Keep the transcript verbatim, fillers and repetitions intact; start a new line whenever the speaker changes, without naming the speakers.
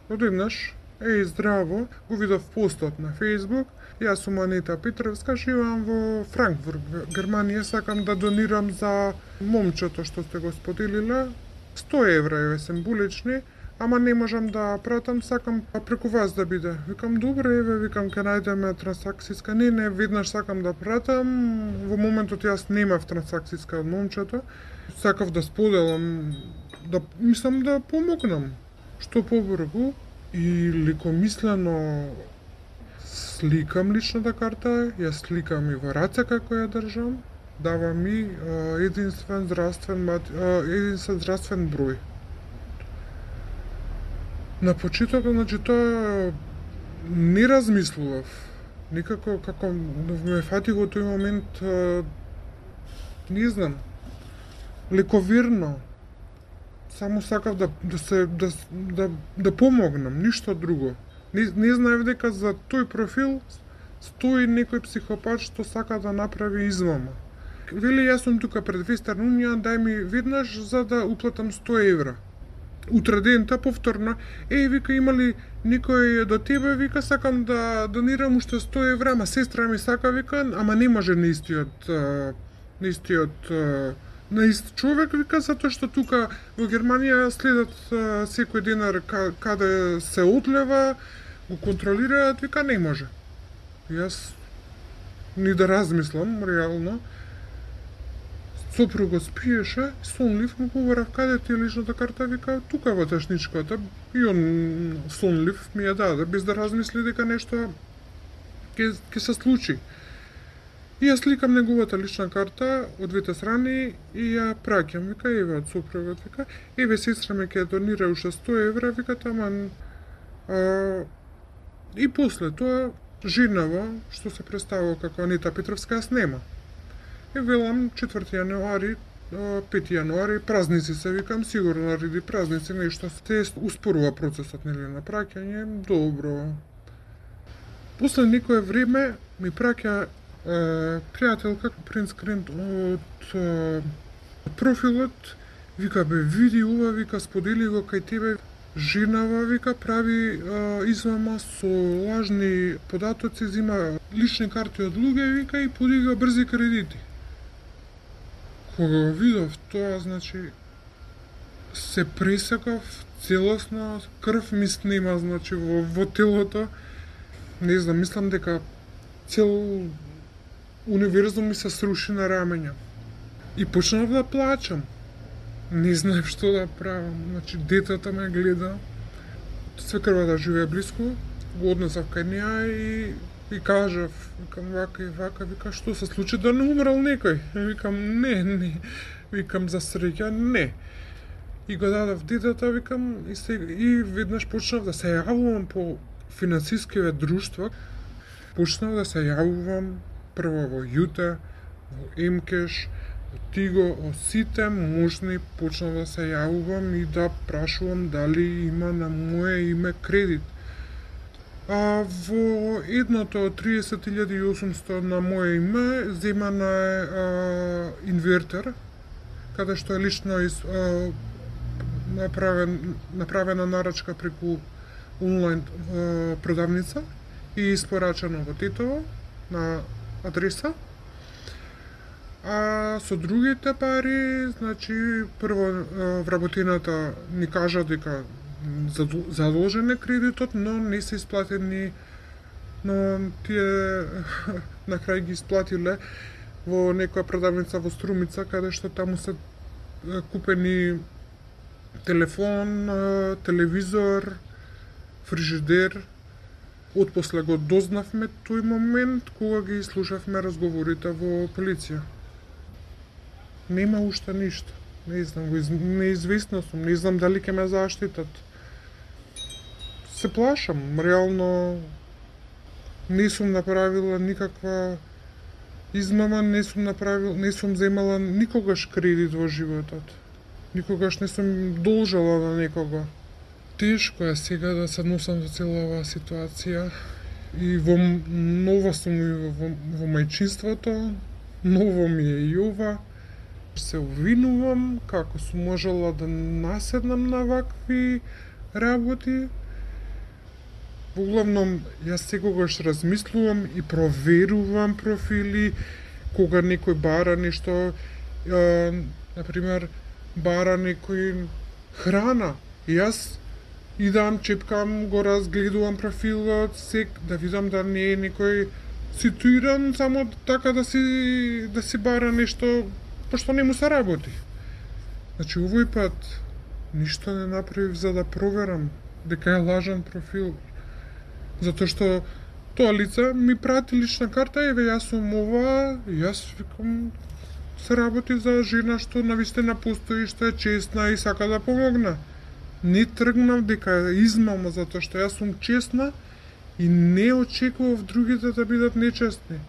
одеднаш, еј, здраво, го видов постот на Facebook. Јас сум Анита Петровска, живеам во Франкфурт, Германија, сакам да донирам за момчето што сте го споделиле. сто евра еве символични, ама не можам да пратам, сакам преку вас да биде. Викам, добре, еве, викам, ке најдеме трансакцијска. Не, не, веднаш сакам да пратам. Во моментот јас немав трансакцијска од момчето. Сакав да споделам, да, мислам да помогнам. Што побрзо и лекомислено сликам личната карта, ја сликам и во раце како ја држам, дава ми а, единствен здравствен а, единствен здравствен број. На почетокот, значи, тоа не размислував. Никако како ме фати во тој момент, а, не знам, лековерно. Само сакав да да се да да да помогнам, ништо друго. Не, не знаев дека за тој профил стои некој психопат што сака да направи измама. Вели, јас сум тука пред Вестерн Унион, дај ми веднаш за да уплатам сто евра. Утре дента повторно, еј, вика, има ли некој до тебе, вика, сакам да донирам уште сто евра, ама сестра ми сака, вика, ама не може на истиот, на истиот, на ист човек, вика, затоа што тука во Германија следат секој денар каде се одлева, го контролираат, вика, не може. Јас ни да размислам, реално, сопругот спиеше, сонлив, му побарав, каде ти е личната карта, вика, тука во тешничката, и он сонлив ми ја даде, без да размисли дека нешто ќе ќе се случи. И јас сликам неговата лична карта од двете страни и ја праќам, вика, еве од сопругот, вика, еве сестра ме ќе донира уште сто евра, вика, таман. А, и после тоа женава што се представува како Анита Петровска, јас нема. И велам четврти јануари, пети јануари, празници се, викам, сигурно нареди празници, нешто се успорува процесот, нели, на праќање, добро. После некое време ми праќа Uh, пријателка принскрент од uh, профилот, вика, бе, види ова, вика, сподели го кај тебе, женава, вика, прави uh, измама со лажни податоци, зима лични карти од луѓе, вика, и подига брзи кредити. Кога видов тоа, значи, се пресекав целосно, крв ми снема, значи, во, во телото, не знам, мислам дека цел универзум ми се сруши на рамења. И почнав да плачам. Не знаев што да правам. Значи, детето ме гледа. Свекрвата живее близко. Го однесав кај неа и, и кажав, викам, вака и вака, вика, што се случи, да не умрал некој? Викам, не, не. Викам, за среќа, не. И го дадав детето, викам, и, се, и веднаш почнав да се јавувам по финансискиве друштва. Почнав да се јавувам прво во Јута, во Емкеш, во Тиго, во сите можни почнав да се јавувам и да прашувам дали има на моје име кредит. А во едното триесет илјади и осумсто на моје име земана е а, инвертер, каде што е лично из, а, направен, направена нарачка преку онлайн а, продавница и испорачено во Тетово на адреса. А со другите пари, значи, прво вработената ни кажа дека задолжен е кредитот, но не се исплатени, но тие на крај ги исплатиле во некоја продавница во Струмица, каде што таму се купени телефон, телевизор, фрижидер. Отпосле го дознавме тој момент кога ги слушавме разговорите во полиција. Нема уште ништо. Не знам, неизвестно сум, не знам дали ќе ме заштитат. Се плашам, реално не сум направила никаква измама, не сум направила, не сум земала никогаш кредит во животот. Никогаш не сум должала на некого. Тешко е сега да се носам за цела оваа ситуација и во нова сум и во, во, во мајчинството, ново ми е и ова. Се обвинувам како сум можела да наседнам на вакви работи Воглавном, јас секогаш размислувам и проверувам профили, кога некој бара нешто, е, например, бара некој храна. И јас идам, чепкам, го разгледувам профилот, сек, да видам да не е некој ситуиран само така да си да си бара нешто пошто не му се работи. Значи овој пат ништо не направив за да проверам дека е лажан профил. Затоа што тоа лице ми прати лична карта, еве јас сум ова, јас викам се работи за жена што навистина постои, што е честна и сака да помогна. Не тргнав дека е измама затоа што јас сум честна и не очекував другите да бидат нечестни.